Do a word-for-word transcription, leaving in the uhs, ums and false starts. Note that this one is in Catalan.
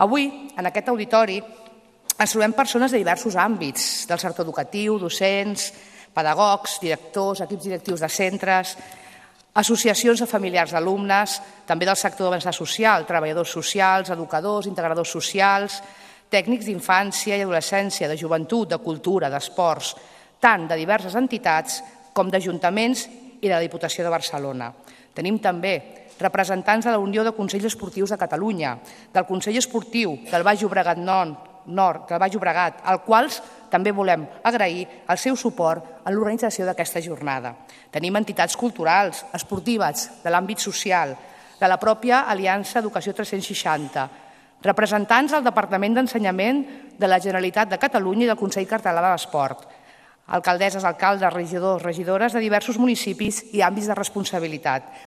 Avui, en aquest auditori, ens trobem persones de diversos àmbits, del sector educatiu, docents, pedagogs, directors, equips directius de centres, associacions de familiars d'alumnes, també del sector de benestar social, treballadors socials, educadors, integradors socials, tècnics d'infància i adolescència, de joventut, de cultura, d'esports, tant de diverses entitats com d'ajuntaments i de la Diputació de Barcelona. Tenim també representants de la Unió de Consells Esportius de Catalunya, del Consell Esportiu del Baix Llobregat Nord, del Baix Llobregat, als quals també volem agrair el seu suport en l'organització d'aquesta jornada. Tenim entitats culturals, esportives, de l'àmbit social, de la pròpia Aliança Educació tres-cents seixanta, representants del Departament d'Ensenyament de la Generalitat de Catalunya i del Consell Català de l'Esport, alcaldesses, alcaldes, regidors, regidores de diversos municipis i àmbits de responsabilitat.